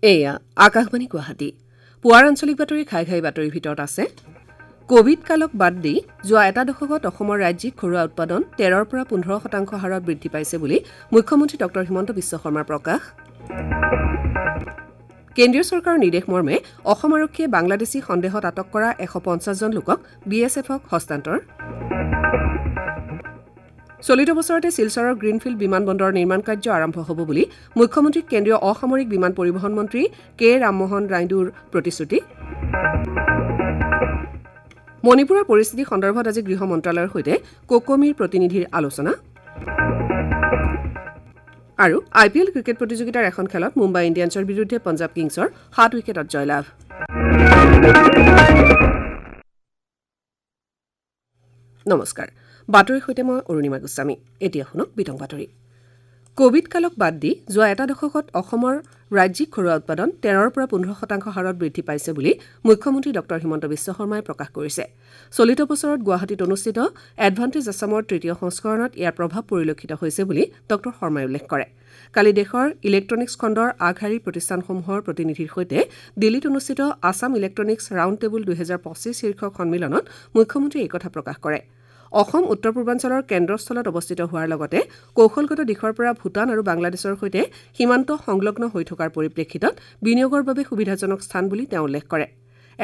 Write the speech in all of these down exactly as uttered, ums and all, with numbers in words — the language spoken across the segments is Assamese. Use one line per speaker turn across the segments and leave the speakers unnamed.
এয়া আকাশবাণী গুৱাহাটী। পুৱাৰ আঞ্চলিক বাতৰি ঘাই ঘাই বাতৰিৰ ভিতৰত আছে কোভিড কালক বাদ দি যোৱা এটা দশকত অসমৰ ৰাজ্যিক ঘৰুৱা উৎপাদন তেৰৰ পৰা পোন্ধৰ শতাংশ হাৰত বৃদ্ধি পাইছে বুলি মুখ্যমন্ত্ৰী ডক্টৰ হিমন্ত বিশ্ব শৰ্মাৰ প্ৰকাশ। কেন্দ্ৰীয় চৰকাৰৰ নিৰ্দেশ মৰ্মে অসম আৰক্ষীয়ে বাংলাদেশী সন্দেহত আটক কৰা এশ পঞ্চাছজন লোকক বি এছ এফক হস্তান্তৰ। চলিত বছৰতে শিলচৰৰ গ্ৰীণফিল্ড বিমানবন্দৰৰ নিৰ্মাণ কাৰ্য আৰম্ভ হ'ব বুলি মুখ্যমন্ত্ৰীক কেন্দ্ৰীয় অসামৰিক বিমান পৰিবহণ মন্ত্ৰী কে ৰামমোহন নাইডুৰ প্ৰতিশ্ৰুতি। মণিপুৰৰ পৰিস্থিতি সন্দৰ্ভত আজি গৃহ মন্ত্ৰালয়ৰ সৈতে কোকোমিৰ প্ৰতিনিধিৰ আলোচনা। আৰু আই পি এল ক্ৰিকেট প্ৰতিযোগিতাৰ এখন খেলত মুম্বাই ইণ্ডিয়ানছৰ বিৰুদ্ধে পঞ্জাৱ কিংছৰ সাত উইকেটত জয়লাভ। নমস্কাৰ, বাতৰিৰ সৈতে মই অৰুণিমা গোস্বামী। এতিয়া শুনক বিতং বাতৰি। কোভিড কালক বাদ দি যোৱা এটা দশকত অসমৰ ৰাজ্যিক ঘৰুৱা উৎপাদন তেৰৰ পৰা পোন্ধৰ শতাংশ হাৰত বৃদ্ধি পাইছে বুলি মুখ্যমন্ত্ৰী ডক্টৰ হিমন্ত বিশ্ব শৰ্মাই প্ৰকাশ কৰিছে। চলিত বছৰত গুৱাহাটীত অনুষ্ঠিত এডভান্টেজ আছামৰ তৃতীয় সংস্কৰণত ইয়াৰ প্ৰভাৱ পৰিলক্ষিত হৈছে বুলি ডক্টৰ শৰ্মাই উল্লেখ কৰে। কালি দেশৰ ইলেক্ট্ৰনিক্স খণ্ডৰ আগশাৰীৰ প্ৰতিষ্ঠানসমূহৰ প্ৰতিনিধিৰ সৈতে দিল্লীত অনুষ্ঠিত আছাম ইলেক্ট্ৰনিক্স ৰাউণ্ড টেবুল দুহেজাৰ পঁচিছ শীৰ্ষক সন্মিলনত মুখ্যমন্ত্ৰীয়ে এই কথা প্ৰকাশ কৰে। অসম উত্তৰ পূৰ্বাঞ্চলৰ কেন্দ্ৰস্থলত অৱস্থিত হোৱাৰ লগতে কৌশলগত দিশৰ পৰা ভূটান আৰু বাংলাদেশৰ সৈতে সীমান্ত সংলগ্ন হৈ থকাৰ পৰিপ্ৰেক্ষিতত বিনিয়োগৰ বাবে সুবিধাজনক স্থান বুলি তেওঁ উল্লেখ কৰে।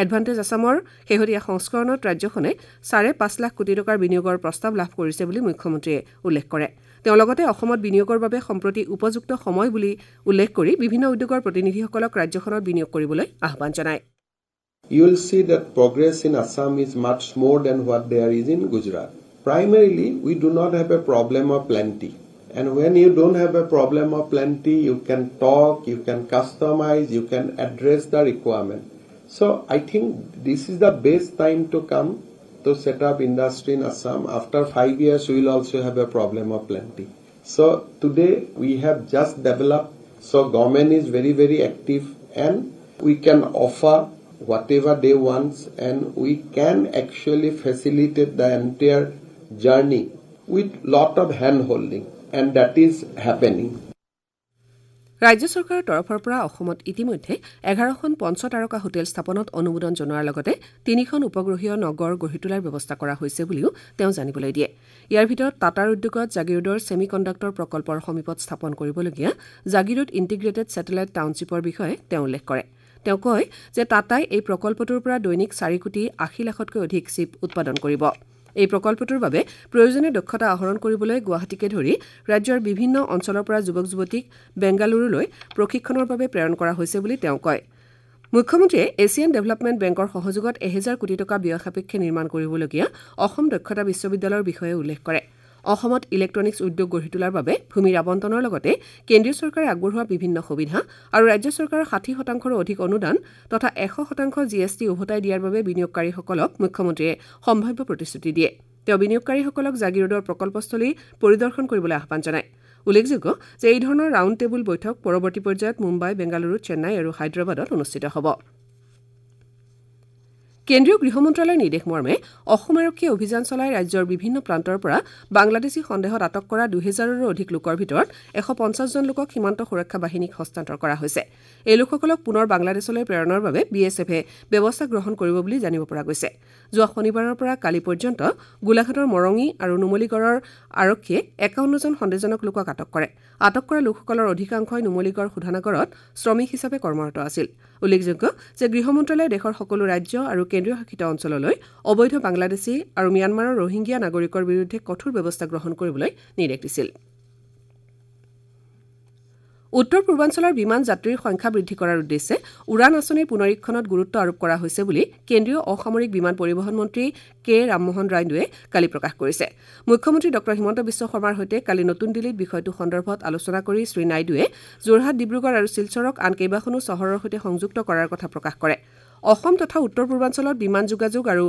এডভান্টেজ আছামৰ শেহতীয়া সংস্কৰণত ৰাজ্যখনে চাৰে পাঁচ লাখ কোটি টকাৰ বিনিয়োগৰ প্ৰস্তাৱ লাভ কৰিছে বুলি মুখ্যমন্ত্ৰীয়ে উল্লেখ কৰে। তেওঁ লগতে অসমত বিনিয়োগৰ বাবে সম্প্ৰতি উপযুক্ত সময় বুলি উল্লেখ কৰি বিভিন্ন উদ্যোগৰ প্ৰতিনিধিসকলক ৰাজ্যখনত বিনিয়োগ কৰিবলৈ আহ্বান জনায়।
You will see that progress in Assam is much more than what there is in Gujarat. Primarily, we do not have a problem of plenty. And when you don't have a problem of plenty, you can talk, you can customize, you can address the requirement. So I think this is the best time to come to set up industry in Assam. After five years, we will also have a problem of plenty. So today we have just developed, so government is very, very active and we can offer whatever they want, and we can actually facilitate the entire journey with lot of hand holding, and that is happening.
ৰাজ্য চৰকাৰৰ তৰফৰ পৰা অসমত ইতিমধ্যে এঘাৰখন পঞ্চতাৰকা হোটেল স্থাপনত অনুমোদন জনোৱাৰ লগতে তিনিখন উপগ্ৰহীয় নগৰ গঢ়ি তোলাৰ ব্যৱস্থা কৰা হৈছে বুলিও তেওঁ জানিবলৈ দিয়ে। ইয়াৰ ভিতৰত টাটাৰ উদ্যোগত জাগিৰোডৰ ছেমি কণ্ডাক্টৰ প্ৰকল্পৰ সমীপত স্থাপন কৰিবলগীয়া জাগিৰোড ইণ্টিগ্ৰেটেড ছেটেলাইট টাউনশ্বিপৰ বিষয়ে তেওঁ উল্লেখ কৰে। তেওঁ কয় যে টাটাই এই প্ৰকল্পটোৰ পৰা দৈনিক চাৰি কোটি আশী লাখতকৈ অধিক চিপ উৎপাদন কৰিব। এই প্ৰকল্পটোৰ বাবে প্ৰয়োজনীয় দক্ষতা আহৰণ কৰিবলৈ গুৱাহাটীকে ধৰি ৰাজ্যৰ বিভিন্ন অঞ্চলৰ পৰা যুৱক যুৱতীক বেংগালুৰুলৈ প্ৰশিক্ষণৰ বাবে প্ৰেৰণ কৰা হৈছে বুলি তেওঁ কয়। মুখ্যমন্ত্ৰীয়ে এছিয়ান ডেভেলপমেণ্ট বেংকৰ সহযোগত এহেজাৰ কোটি টকা ব্যয় সাপেক্ষে নিৰ্মাণ কৰিবলগীয়া অসম দক্ষতা বিশ্ববিদ্যালয়ৰ বিষয়ে উল্লেখ কৰে। অসমত ইলেক্ট্ৰনিক্স উদ্যোগ গঢ়ি তোলাৰ বাবে ভূমিৰ আবণ্টনৰ লগতে কেন্দ্ৰীয় চৰকাৰে আগবঢ়োৱা বিভিন্ন সুবিধা আৰু ৰাজ্য চৰকাৰৰ ষাঠি শতাংশৰো অধিক অনুদান তথা এশ শতাংশ জি এছ টি উভতাই দিয়াৰ বাবে বিনিয়োগকাৰীসকলক মুখ্যমন্ত্ৰীয়ে সম্ভাৱ্য প্ৰতিশ্ৰুতি দিয়ে। তেওঁ বিনিয়োগকাৰীসকলক জাগিৰোডৰ প্ৰকল্পস্থলী পৰিদৰ্শন কৰিবলৈ আহ্বান জনায়। উল্লেখযোগ্য যে এই ধৰণৰ ৰাউণ্ড টেবুল বৈঠক পৰৱৰ্তী পৰ্যায়ত মুম্বাই, বেংগালুৰু, চেন্নাই আৰু হায়দৰাবাদত অনুষ্ঠিত হ'ব। কেন্দ্ৰীয় গৃহ মন্ত্ৰালয়ৰ নিৰ্দেশ মৰ্মে অসম আৰক্ষীয়ে অভিযান চলাই ৰাজ্যৰ বিভিন্ন প্ৰান্তৰ পৰা বাংলাদেশী সন্দেহত আটক কৰা দুহেজাৰৰো অধিক লোকৰ ভিতৰত এশ পঞ্চাছজন লোকক সীমান্ত সুৰক্ষা বাহিনীক হস্তান্তৰ কৰা হৈছে। এই লোকসকলক পুনৰ বাংলাদেশলৈ প্ৰেৰণৰ বাবে বি এছ এফে ব্যৱস্থা গ্ৰহণ কৰিব বুলি জানিব পৰা গৈছে। যোৱা শনিবাৰৰ পৰা কালি পৰ্যন্ত গোলাঘাটৰ মৰঙী আৰু নুমলীগড়ৰ আৰক্ষীয়ে একাৱন্নজন সন্দেহজনক লোকক আটক কৰে। আটক কৰা লোকসকলৰ অধিকাংশই নুমলীগড় শোধনাগাৰত শ্ৰমিক হিচাপে কৰ্মৰত আছিল। উল্লেখযোগ্য যে গৃহ মন্ত্ৰালয়ে দেশৰ সকলো ৰাজ্য আৰু কেন্দ্ৰীয় শাসিত অঞ্চললৈ অবৈধ বাংলাদেশী আৰু ম্যানমাৰৰ ৰোহিংগীয়া নাগৰিকৰ বিৰুদ্ধে কঠোৰ ব্যৱস্থা গ্ৰহণ কৰিবলৈ নিৰ্দেশ দিছিল। উত্তৰ পূৰ্বাঞ্চলৰ বিমান যাত্ৰীৰ সংখ্যা বৃদ্ধি কৰাৰ উদ্দেশ্যে উড়ান আঁচনিৰ পুনৰীক্ষণত গুৰুত্ব আৰোপ কৰা হৈছে বুলি কেন্দ্ৰীয় অসামৰিক বিমান পৰিবহণ মন্ত্ৰী কে ৰামমোহন নাইডুৱে কালি প্ৰকাশ কৰিছে। মুখ্যমন্ত্ৰী ডক্টৰ হিমন্ত বিশ্ব শৰ্মাৰ সৈতে কালি নতুন দিল্লীত বিষয়টো সন্দৰ্ভত আলোচনা কৰি শ্ৰী নাইডুৱে যোৰহাট, ডিব্ৰুগড় আৰু শিলচৰক আন কেইবাখনো চহৰৰ সৈতে সংযুক্ত কৰাৰ কথা প্ৰকাশ কৰে। অসম তথা উত্তৰ পূৰ্বাঞ্চলত বিমান যোগাযোগ আৰু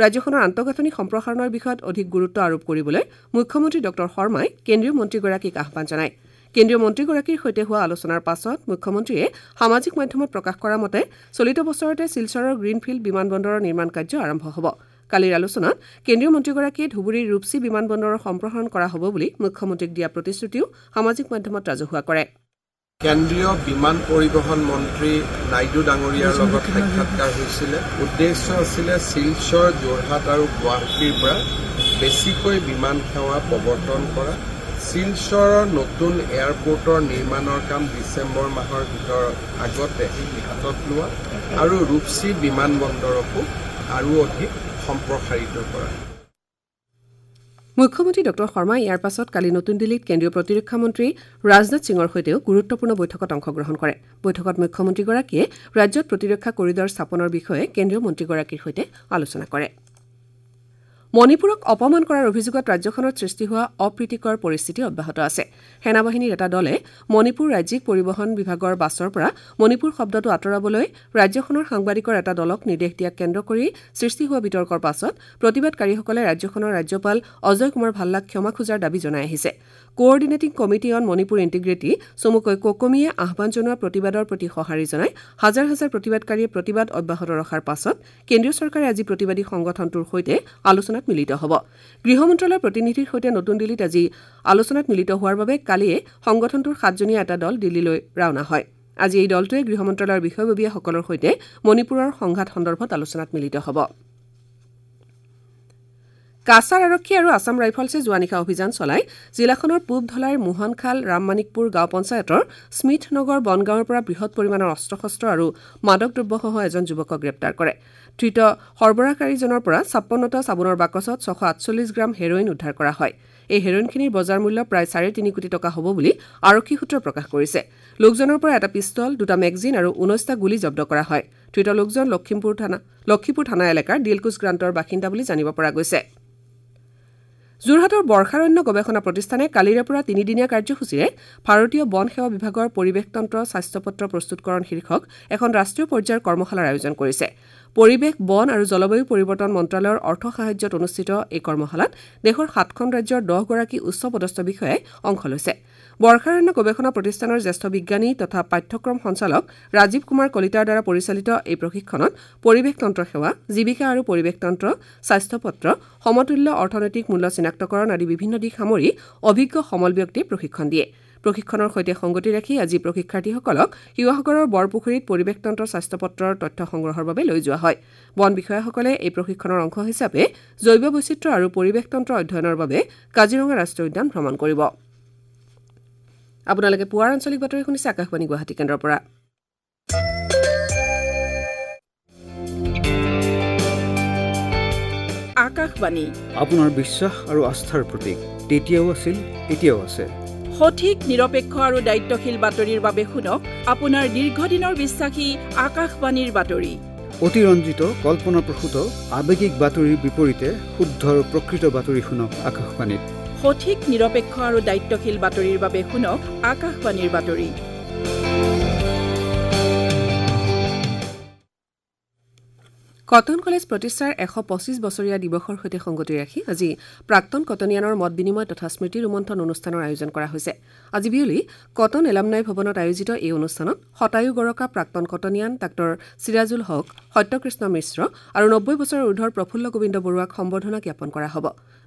ৰাজ্যখনৰ আন্তঃগাঁথনি সম্প্ৰসাৰণৰ বিষয়ত অধিক গুৰুত্ব আৰোপ কৰিবলৈ মুখ্যমন্ত্ৰী ডক্টৰ শৰ্মাই কেন্দ্ৰীয় মন্ত্ৰীগৰাকীক আহ্বান জনায়। কেন্দ্ৰীয় মন্ত্ৰীগৰাকীৰ সৈতে হোৱা আলোচনাৰ পাছত মুখ্যমন্ত্ৰীয়ে সামাজিক মাধ্যমত প্ৰকাশ কৰা মতে চলিত বছৰতে শিলচৰৰ গ্ৰীণফিল্ড বিমানবন্দৰৰ নিৰ্মাণ কাৰ্য আৰম্ভ হ'ব। কালিৰ আলোচনাত কেন্দ্ৰীয় মন্ত্ৰীগৰাকীয়ে ধুবুৰীৰ ৰূপচী বিমানবন্দৰৰ সম্প্ৰসাৰণ কৰা হ'ব বুলি মুখ্যমন্ত্ৰীক দিয়া প্ৰতিশ্ৰুতিও সামাজিক মাধ্যমত ৰাজহুৱা কৰে।
কেন্দ্ৰীয় বিমান পৰিবহণ মন্ত্ৰী নাইডু ডাঙৰীয়াৰ লগত সাক্ষাৎকাৰ হৈছিলে। উদ্দেশ্য আছিলে শিলচৰ, যোৰহাট আৰু গুৱাহাটীৰ পৰা বেছিকৈ বিমান সেৱা প্ৰৱৰ্তন কৰা। শিলচৰৰ নতুন এয়াৰপৰ্টৰ নিৰ্মাণৰ কাম ডিচেম্বৰ মাহৰ ভিতৰত আগতে হাতত লোৱা আৰু ৰূপচী বিমান বন্দৰকো আৰু অধিক সম্প্ৰসাৰিত কৰা।
মুখ্যমন্ত্ৰী ডঃ শৰ্মাই ইয়াৰ পাছত কালি নতুন দিল্লীত কেন্দ্ৰীয় প্ৰতিৰক্ষা মন্ত্ৰী ৰাজনাথ সিঙৰ সৈতেও গুৰুত্বপূৰ্ণ বৈঠকত অংশগ্ৰহণ কৰে। বৈঠকত মুখ্যমন্ত্ৰীগৰাকীয়ে ৰাজ্যত প্ৰতিৰক্ষা কৰিডৰ স্থাপনৰ বিষয়ে কেন্দ্ৰীয় মন্ত্ৰীগৰাকীৰ সৈতে আলোচনা কৰে। মণিপুৰক অপমান কৰাৰ অভিযোগত ৰাজ্যখনত সৃষ্টি হোৱা অপ্ৰীতিকৰ পৰিস্থিতি অব্যাহত আছে। সেনাবাহিনীৰ এটা দলে মণিপুৰ ৰাজ্যিক পৰিবহণ বিভাগৰ বাছৰ পৰা মণিপুৰ শব্দটো আঁতৰাবলৈ ৰাজ্যখনৰ সাংবাদিকৰ এটা দলক নিৰ্দেশ দিয়াক কেন্দ্ৰ কৰি সৃষ্টি হোৱা বিতৰ্কৰ পাছত প্ৰতিবাদকাৰীসকলে ৰাজ্যখনৰ ৰাজ্যপাল অজয় কুমাৰ ভাল্লাক ক্ষমা খোজাৰ দাবী জনাই আহিছে। Coordinating committee on Manipur integrity চমুকৈ কোকমিয়ে আহ্বান জনোৱা প্ৰতিবাদৰ প্ৰতি সঁহাৰি জনাই হাজাৰ হাজাৰ প্ৰতিবাদকাৰীয়ে প্ৰতিবাদ অব্যাহত ৰখাৰ পাছত কেন্দ্ৰীয় চৰকাৰে আজি প্ৰতিবাদী সংগঠনটোৰ সৈতে আলোচনাত মিলিত হ'ব। গৃহ মন্ত্ৰালয়ৰ প্ৰতিনিধিৰ সৈতে নতুন দিল্লীত আজি আলোচনাত মিলিত হোৱাৰ বাবে কালিয়ে সংগঠনটোৰ সাতজনীয়া এটা দল দিল্লীলৈ ৰাওনা হয়। আজি এই দলটোৱে গৃহ মন্ত্ৰালয়ৰ বিষয়ববীয়াসকলৰ সৈতে মণিপুৰৰ সংঘাত সন্দৰ্ভত আলোচনাত মিলিত হ'ব। কাছাৰ আৰক্ষী আৰু আছাম ৰাইফলছে যোৱা নিশা অভিযান চলাই জিলাখনৰ পূব ধলাইৰ মোহনখাল ৰামমানিকপুৰ গাঁও পঞ্চায়তৰ স্মিথনগৰ বনগাঁৱৰ পৰা বৃহৎ পৰিমাণৰ অস্ত্ৰ শস্ত্ৰ আৰু মাদক দ্ৰব্যসহ এজন যুৱকক গ্ৰেপ্তাৰ কৰে। ধৃত সৰবৰাহকাৰীজনৰ পৰা ছাপন্নটা চাবোনৰ বাকচত ছশ আঠচল্লিছ গ্ৰাম হেৰইন উদ্ধাৰ কৰা হয়। এই হেৰইনখিনিৰ বজাৰ মূল্য প্ৰায় চাৰে তিনি কোটি টকা হ'ব বুলি আৰক্ষী সূত্ৰই প্ৰকাশ কৰিছে। লোকজনৰ পৰা এটা পিষ্টল, দুটা মেগজিন আৰু ঊনৈছটা গুলী জব্দ কৰা হয়। ধৃত লোকজন লখিমপুৰ থানা লক্ষীপুৰ থানা এলেকাৰ দিলকুচ গ্ৰাণ্টৰ বাসিন্দা বুলি জানিব পৰা গৈছে। যোৰহাটৰ বৰ্ষাৰণ্য গৱেষণা প্ৰতিষ্ঠানে কালিৰে পৰা তিনিদিনীয়া কাৰ্যসূচীৰে ভাৰতীয় বন সেৱা বিভাগৰ পৰিৱেশতন্ত্ৰ স্বাস্থ্যপত্ৰ প্ৰস্তুতকৰণ শীৰ্ষক এখন ৰাষ্ট্ৰীয় পৰ্যায়ৰ কৰ্মশালাৰ আয়োজন কৰিছে। পৰিৱেশ, বন আৰু জলবায়ু পৰিৱৰ্তন মন্ত্ৰালয়ৰ অৰ্থ সাহায্যত অনুষ্ঠিত এই কৰ্মশালাত দেশৰ সাতখন ৰাজ্যৰ দহগৰাকী উচ্চ পদস্থ বিষয়াই অংশ লৈছে। বৰ্ষাৰণ্য গৱেষণা প্ৰতিষ্ঠানৰ জ্যেষ্ঠ বিজ্ঞানী তথা পাঠ্যক্ৰম সঞ্চালক ৰাজীৱ কুমাৰ কলিতাৰ দ্বাৰা পৰিচালিত এই প্ৰশিক্ষণত পৰিৱেশতন্ত্ৰ সেৱা, জীৱিকা আৰু পৰিৱেশতন্ত্ৰ, স্বাস্থ্যপত্ৰ, সমতুল্য অৰ্থনৈতিক মূল্য চিনাক্তকৰণ আদি বিভিন্ন দিশ সামৰি অভিজ্ঞ সমল ব্যক্তিয়ে প্ৰশিক্ষণ দিয়ে। প্ৰশিক্ষণৰ সৈতে সংগতি ৰাখি আজি প্ৰশিক্ষাৰ্থীসকলক শিৱসাগৰৰ বৰপুখুৰীত পৰিৱেশতন্ত্ৰ স্বাস্থ্যপত্ৰৰ তথ্য সংগ্ৰহৰ বাবে লৈ যোৱা হয়। বন বিষয়াসকলে এই প্ৰশিক্ষণৰ অংশ হিচাপে জৈৱ বৈচিত্ৰ্য আৰু পৰিৱেশতন্ত্ৰ অধ্যয়নৰ বাবে কাজিৰঙা ৰাষ্ট্ৰীয় উদ্যান ভ্ৰমণ কৰিব। আপোনালোকে পুৱাৰ আঞ্চলিক বাতৰি শুনিছে আকাশবাণী গুৱাহাটী কেন্দ্ৰৰ পৰা।
আকাশবাণী
আপোনাৰ বিশ্বাস আৰু আস্থাৰ প্ৰতীক, তেতিয়াও আছিল, এতিয়াও আছে।
সঠিক, নিৰপেক্ষ আৰু দায়িত্বশীল বাতৰিৰ বাবে শুনক আপোনাৰ দীৰ্ঘদিনৰ বিশ্বাসী আকাশবাণীৰ বাতৰি।
অতিৰঞ্জিত, কল্পনাপ্ৰসূত, আৱেগিক বাতৰিৰ বিপৰীতে শুদ্ধ আৰু প্ৰকৃত বাতৰি শুনক আকাশবাণীত।
সঠিক, নিৰপেক্ষ আৰু দায়িত্বশীল বাতৰিৰ বাবে শুনক আকাশবাণীৰ বাতৰি।
কটন কলেজ প্ৰতিষ্ঠাৰ এশ পঁচিছ বছৰীয়া দিৱসৰ সৈতে সংগতি ৰাখি আজি প্ৰাক্তন কটনিয়ানৰ মত বিনিময় তথা স্মৃতি ৰোমন্থন অনুষ্ঠানৰ আয়োজন কৰা হৈছে। আজি বিয়লি কটন এলামনাই ভৱনত আয়োজিত এই অনুষ্ঠানত শতায়ু গৰকা প্ৰাক্তন কটনিয়ান ডাঃ চিৰাজুল হক, সত্যকৃষ্ণ মিশ্ৰ আৰু নব্বৈ বছৰৰ ঊৰ্ধৰ প্ৰফুল্ল গোবিন্দ বৰুৱাক সম্বৰ্ধনা জ্ঞাপন কৰা হ'ব।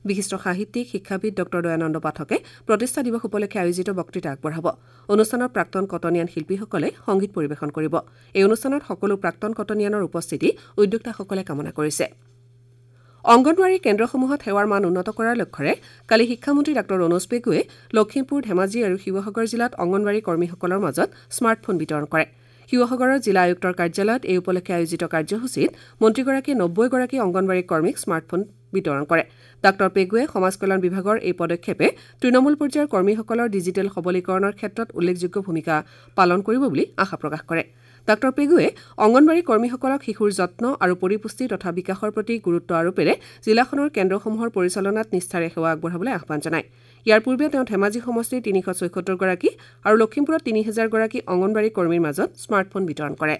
বিশিষ্ট সাহিত্যিক, শিক্ষাবিদ ডাঃ দয়ানন্দ পাঠকে প্ৰতিষ্ঠা দিৱস উপলক্ষে আয়োজিত বক্তৃতা আগবঢ়াব। অনুষ্ঠানত প্ৰাক্তন কটনিয়ান শিল্পীসকলে সংগীত পৰিৱেশন কৰিব। এই অনুষ্ঠানত সকলো প্ৰাক্তন কটনিয়ানৰ উপস্থিতি উদ্যোক্তাসকলে কামনা কৰিছে। অংগনৱাড়ী কেন্দ্ৰসমূহত সেৱাৰ মান উন্নত কৰাৰ লক্ষ্যৰে কালি শিক্ষামন্ত্ৰী ডাঃ ৰণোজ পেগুৱে লখিমপুৰ, ধেমাজি আৰু শিৱসাগৰ জিলাত অংগনৱাড়ী কৰ্মীসকলৰ মাজত স্মাৰ্টফোন বিতৰণ কৰে। শিৱসাগৰৰ জিলা আয়ুক্তৰ কাৰ্যালয়ত এই উপলক্ষে আয়োজিত কাৰ্যসূচীত মন্ত্ৰীগৰাকীয়ে নব্বৈগৰাকী অংগনৱাড়ী কৰ্মীক স্মাৰ্টফোন বিতৰণ কৰে। ডাঃ পেগুৱে সমাজ কল্যাণ বিভাগৰ এই পদক্ষেপে তৃণমূল পৰ্যায়ৰ কৰ্মীসকলৰ ডিজিটেল সবলীকৰণৰ ক্ষেত্ৰত উল্লেখযোগ্য ভূমিকা পালন কৰিব বুলি আশা প্ৰকাশ কৰে। ডাঃ পেগুৱে অংগনৱাড়ী কৰ্মীসকলক শিশুৰ যত্ন আৰু পৰিপুষ্টি তথা বিকাশৰ প্ৰতি গুৰুত্ব আৰোপেৰে জিলাখনৰ কেন্দ্ৰসমূহৰ পৰিচালনাত নিষ্ঠাৰে সেৱা আগবঢ়াবলৈ আহ্বান জনায়। ইয়াৰ পূৰ্বে তেওঁ ধেমাজি সমষ্টিৰ তিনিশ ছয়সত্তৰগৰাকী আৰু লখিমপুৰত তিনি হেজাৰগৰাকী অংগনৱাড়ী কৰ্মীৰ মাজত স্মাৰ্টফোন বিতৰণ কৰে।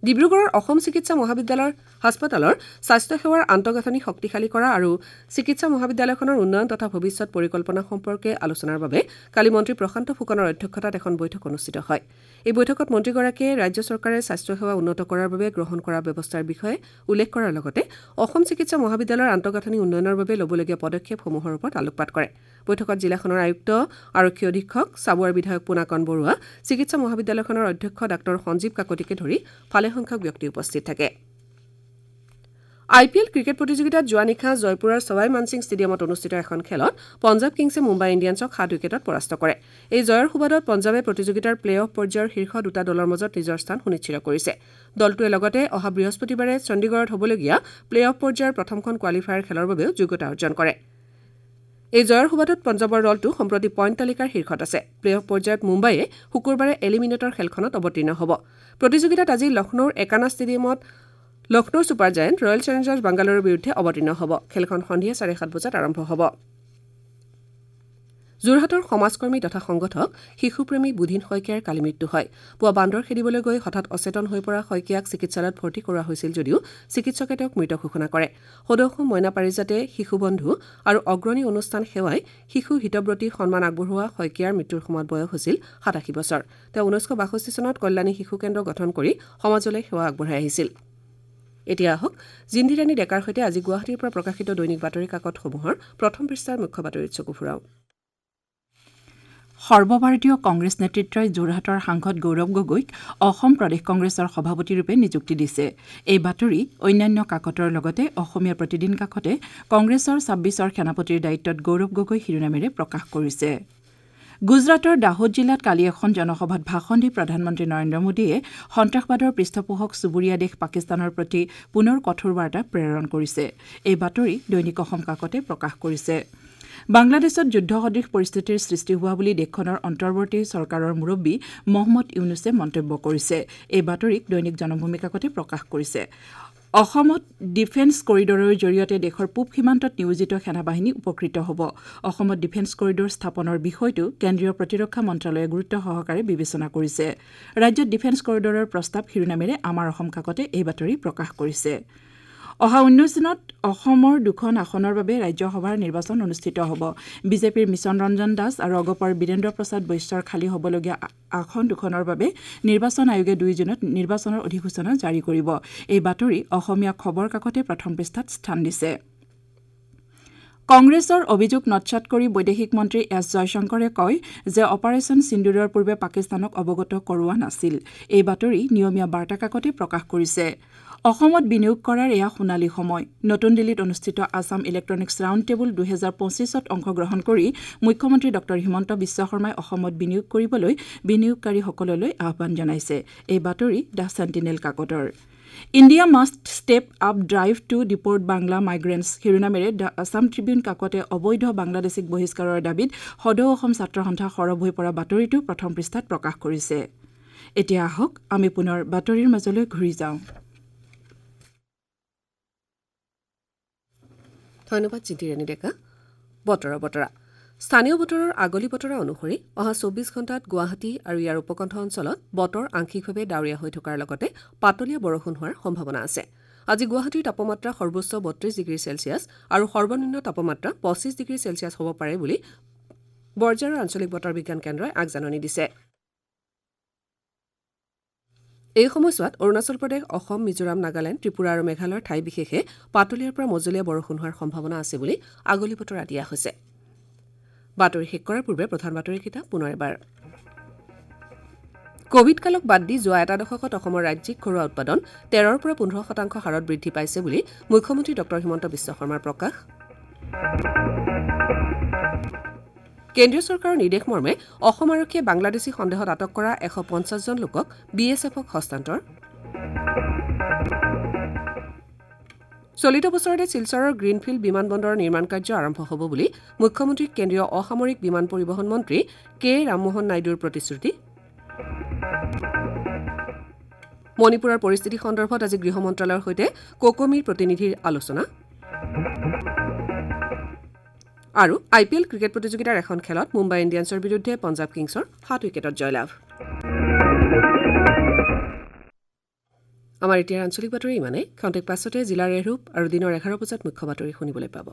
ডিব্ৰুগড়ৰ অসম চিকিৎসা মহাবিদ্যালয়ৰ হাস্পতালৰ স্বাস্থ্যসেৱাৰ আন্তঃগাঁথনি শক্তিশালী কৰা আৰু চিকিৎসা মহাবিদ্যালয়খনৰ উন্নয়ন তথা ভৱিষ্যত পৰিকল্পনা সম্পৰ্কে আলোচনাৰ বাবে কালি মন্ত্ৰী প্ৰশান্ত ফুকনৰ অধ্যক্ষতাত এখন বৈঠক অনুষ্ঠিত হয়। এই বৈঠকত মন্ত্ৰীগৰাকীয়ে ৰাজ্য চৰকাৰে স্বাস্থ্যসেৱা উন্নত কৰাৰ বাবে গ্ৰহণ কৰা ব্যৱস্থাৰ বিষয়ে উল্লেখ কৰাৰ লগতে অসম চিকিৎসা মহাবিদ্যালয়ৰ আন্তঃগাঁথনি উন্নয়নৰ বাবে ল'বলগীয়া পদক্ষেপসমূহৰ ওপৰত আলোকপাত কৰে। বৈঠকত জিলাখনৰ আয়ুক্ত, আৰক্ষী অধীক্ষক, চাবুৱাৰ বিধায়ক পোনাকণ বৰুৱা, চিকিৎসা মহাবিদ্যালয়খনৰ অধ্যক্ষ ডাঃ সঞ্জীৱ কাকতিকে ধৰি ভালেসংখ্যক ব্যক্তি উপস্থিত থাকে। আই পি এল ক্ৰিকেট প্ৰতিযোগিতাত যোৱা নিশা জয়পুৰৰ ছৱাই মানসিং ষ্টেডিয়ামত অনুষ্ঠিত এখন খেলত পঞ্জাৱ কিংছে মুম্বাই ইণ্ডিয়ানছক সাত উইকেটত পৰাস্ত কৰে। এই জয়ৰ সুবাদত পঞ্জাৱে প্ৰতিযোগিতাৰ প্লে অফ পৰ্যায়ৰ শীৰ্ষ দুটা দলৰ মাজত নিজৰ স্থান সুনিশ্চিত কৰিছে। দলটোৱে লগতে অহা বৃহস্পতিবাৰে চণ্ডীগড়ত হ'বলগীয়া প্লে অফ পৰ্যায়ৰ প্ৰথমখন কোৱালিফায়াৰ খেলৰ বাবেও যোগ্যতা অৰ্জন কৰে। এই জয়ৰ সুবাদত পঞ্জাৱৰ দলটো সম্প্ৰতি পইণ্ট তালিকাৰ শীৰ্ষত আছে। প্লে অফ পৰ্যায়ত মুম্বাইয়ে শুকুৰবাৰে এলিমিনেটৰ খেলখনত অৱতীৰ্ণ হ'ব। প্ৰতিযোগিতাত আজি লক্ষ্ণৌৰ একানা ষ্টেডিয়ামত Lucknow super giant royal challengers বাংগালোৰৰ বিৰুদ্ধে অৱতীৰ্ণ হ'ব। খেলখন সন্ধিয়া চাৰে সাত বজাত আৰম্ভ হ'ব। যোৰহাটৰ সমাজকৰ্মী তথা সংগঠক শিশুপ্ৰেমী বুধিন শইকীয়াৰ কালি মৃত্যু হয়। পুৱা বান্দৰ খেদিবলৈ গৈ হঠাৎ অচেতন হৈ পৰা শইকীয়াক চিকিৎসালয়ত ভৰ্তি কৰোৱা হৈছিল যদিও চিকিৎসকে তেওঁক মৃত ঘোষণা কৰে। সদৌ অসম মইনা পাৰিজাতে শিশুবন্ধু আৰু অগ্ৰণী অনুষ্ঠান সেৱাই শিশু হিতব্ৰতী সন্মান আগবঢ়োৱা শইকীয়াৰ মৃত্যুৰ সময়ত বয়স হৈছিল সাতাশী বছৰ। তেওঁ ঊনৈছশ বাষষ্ঠি চনত কল্যাণী শিশু কেন্দ্ৰ গঠন কৰি সমাজলৈ সেৱা আগবঢ়াই আহিছিল। এতিয়া আহক জিন্দিৰাণী ডেকাৰ সৈতে আজি গুৱাহাটীৰ পৰা প্ৰকাশিত দৈনিক বাতৰি কাকতসমূহৰ প্ৰথম পৃষ্ঠাৰ মুখ্য বাতৰিত চকু ফুৰাওঁ।
সৰ্বভাৰতীয় কংগ্ৰেছ নেতৃত্বই যোৰহাটৰ সাংসদ গৌৰৱ গগৈক অসম প্ৰদেশ কংগ্ৰেছৰ সভাপতিৰূপে নিযুক্তি দিছে। এই বাতৰি অন্যান্য কাকতৰ লগতে অসমীয়া প্ৰতিদিন কাকতে কংগ্ৰেছৰ ছাব্বিছৰ সেনাপতিৰ দায়িত্বত গৌৰৱ গগৈ শিৰোনামেৰে প্ৰকাশ কৰিছে। গুজৰাটৰ দাহোদ জিলাত কালি এখন জনসভাত ভাষণ দি প্ৰধানমন্ত্ৰী নৰেন্দ্ৰ মোদীয়ে সন্ত্ৰাসবাদৰ পৃষ্ঠপোষক চুবুৰীয়া দেশ পাকিস্তানৰ প্ৰতি পুনৰ কঠোৰ বাৰ্তা প্ৰেৰণ কৰিছে। এই বাতৰি দৈনিক অসম কাকতে প্ৰকাশ কৰিছে। বাংলাদেশত যুদ্ধসদৃশ পৰিস্থিতিৰ সৃষ্টি হোৱা বুলি দেশখনৰ অন্তৰ্বৰ্তী চৰকাৰৰ মুৰব্বী মহম্মদ ইউনুছে মন্তব্য কৰিছে। এই বাতৰিক দৈনিক জনভূমি কাকতে প্ৰকাশ কৰিছে। অসমত ডিফেন্স কৰিডৰৰ জৰিয়তে দেশৰ পূব সীমান্তত নিয়োজিত সেনাবাহিনী উপকৃত হ'ব। অসমত ডিফেন্স কৰিডৰ স্থাপনৰ বিষয়টো কেন্দ্ৰীয় প্ৰতিৰক্ষা মন্ত্ৰালয়ে গুৰুত্ব সহকাৰে বিবেচনা কৰিছে। ৰাজ্যত ডিফেন্স কৰিডৰৰ প্ৰস্তাৱ শিৰোনামেৰে আমাৰ অসম কাকতে এই বাতৰি প্ৰকাশ কৰিছে। অহা ঊনৈছ জুনত অসমৰ দুখন আসনৰ বাবে ৰাজ্যসভাৰ নিৰ্বাচন অনুষ্ঠিত হ'ব। বিজেপিৰ মিছন ৰঞ্জন দাস আৰু অগপৰ বীৰেন্দ্ৰ প্ৰসাদ বৈশ্যৰ খালী হ'বলগীয়া আসন দুখনৰ বাবে নিৰ্বাচন আয়োগে দুই জুনত নিৰ্বাচনৰ অধিসূচনা জাৰি কৰিব। এই বাতৰি অসমীয়া খবৰ কাকতে প্ৰথম পৃষ্ঠাত স্থান দিছে। কংগ্ৰেছৰ অভিযোগ নৎসাত কৰি বৈদেশিক মন্ত্ৰী এছ জয়শংকৰে কয় যে অপাৰেচন সিন্দুৰৰ পূৰ্বে পাকিস্তানক অৱগত কৰোৱা নাছিল। এই বাতৰি নিয়মীয়া বাৰ্তা কাকতে প্ৰকাশ কৰিছে। অসমত বিনিয়োগ কৰাৰ এয়া সোণালী সময়। নতুন দিল্লীত অনুষ্ঠিত আছাম ইলেক্ট্ৰনিক্স ৰাউণ্ড টেবুল দুহেজাৰ পঁচিছত অংশগ্ৰহণ কৰি মুখ্যমন্ত্ৰী ডঃ হিমন্ত বিশ্ব শৰ্মাই অসমত বিনিয়োগ কৰিবলৈ বিনিয়োগকাৰীসকললৈ আহ্বান জনাইছে। এই বাতৰি the sentinel কাকতৰ। India must step up drive to deport Bangla migrants শিৰোনামেৰে the Assam Tribune কাকতে অবৈধ বাংলাদেশীক বহিষ্কাৰৰ দাবীত সদৌ অসম ছাত্ৰ সন্থা সৰব হৈ পৰা বাতৰিটো প্ৰথম পৃষ্ঠাত প্ৰকাশ কৰিছে। এতিয়া আহক আমি পুনৰ বাতৰিৰ মাজলৈ ঘূৰি যাওঁ।
ধন্যবাদ জিন্দিৰাণী ডেকা। বতৰৰ বতৰা। স্থানীয় বতৰৰ আগলি বতৰা অনুসৰি অহা চৌবিছ ঘণ্টাত গুৱাহাটী আৰু ইয়াৰ উপকণ্ঠ অঞ্চলত বতৰ আংশিকভাৱে ডাৱৰীয়া হৈ থকাৰ লগতে পাতলীয়া বৰষুণ হোৱাৰ সম্ভাৱনা আছে। আজি গুৱাহাটীৰ তাপমাত্ৰা সৰ্বোচ্চ বত্ৰিছ ডিগ্ৰী চেলছিয়াছ আৰু সৰ্বনিম্ন তাপমাত্ৰা পঁচিছ ডিগ্ৰী চেলছিয়াছ হ'ব পাৰে বুলি বৰঝাৰৰ আঞ্চলিক বতৰ বিজ্ঞান কেন্দ্ৰই আগজাননী দিছে। এই সময়ছোৱাত অৰুণাচল প্ৰদেশ, অসম, মিজোৰাম, নাগালেণ্ড, ত্ৰিপুৰা আৰু মেঘালয়ৰ ঠাই বিশেষে পাতলীয়াৰ পৰা মজলীয়া বৰষুণ হোৱাৰ সম্ভাৱনা আছে বুলি আগলি বতৰা দিয়া হৈছে। বাতৰি শেষ কৰাৰ পূৰ্বে প্ৰধান বাতৰিকেইটা পুনৰ এবাৰ। কভিড কালক বাদ দি যোৱা এটা দশকত অসমৰ ৰাজ্যিক ঘৰুৱা উৎপাদন তেৰৰ পৰা পোন্ধৰ শতাংশ হাৰত বৃদ্ধি পাইছে বুলি মুখ্যমন্ত্ৰী ডঃ হিমন্ত বিশ্ব শৰ্মাৰ প্ৰকাশ। কেন্দ্ৰীয় চৰকাৰৰ নিৰ্দেশ মৰ্মে অসম আৰক্ষীয়ে বাংলাদেশী সন্দেহত আটক কৰা এশ পঞ্চাছজন লোকক বি এছ এফক হস্তান্তৰ। চলিত বছৰতে শিলচৰৰ গ্ৰীণফিল্ড বিমানবন্দৰৰ নিৰ্মাণ কাৰ্য আৰম্ভ হ'ব বুলি মুখ্যমন্ত্ৰীক কেন্দ্ৰীয় অসামৰিক বিমান পৰিবহণ মন্ত্ৰী কে ৰামমোহন নাইডুৰ প্ৰতিশ্ৰুতি। মণিপুৰৰ পৰিস্থিতি সন্দৰ্ভত আজি গৃহ মন্ত্ৰালয়ৰ সৈতে কোকোমিৰ প্ৰতিনিধিৰ আলোচনা। আৰু আই পি এল ক্ৰিকেট প্ৰতিযোগিতাৰ এখন খেলত মুম্বাই ইণ্ডিয়ানছৰ বিৰুদ্ধে পঞ্জাৱ কিংছৰ সাত উইকেটত জয়লাভ। আমাৰ এতিয়াৰ আঞ্চলিক বাতৰি ইমানেই। ক্ষন্তেক পাছতে জিলাৰ এৰূপ আৰু দিনৰ এঘাৰ বজাত মুখ্য বাতৰি শুনিবলৈ পাব।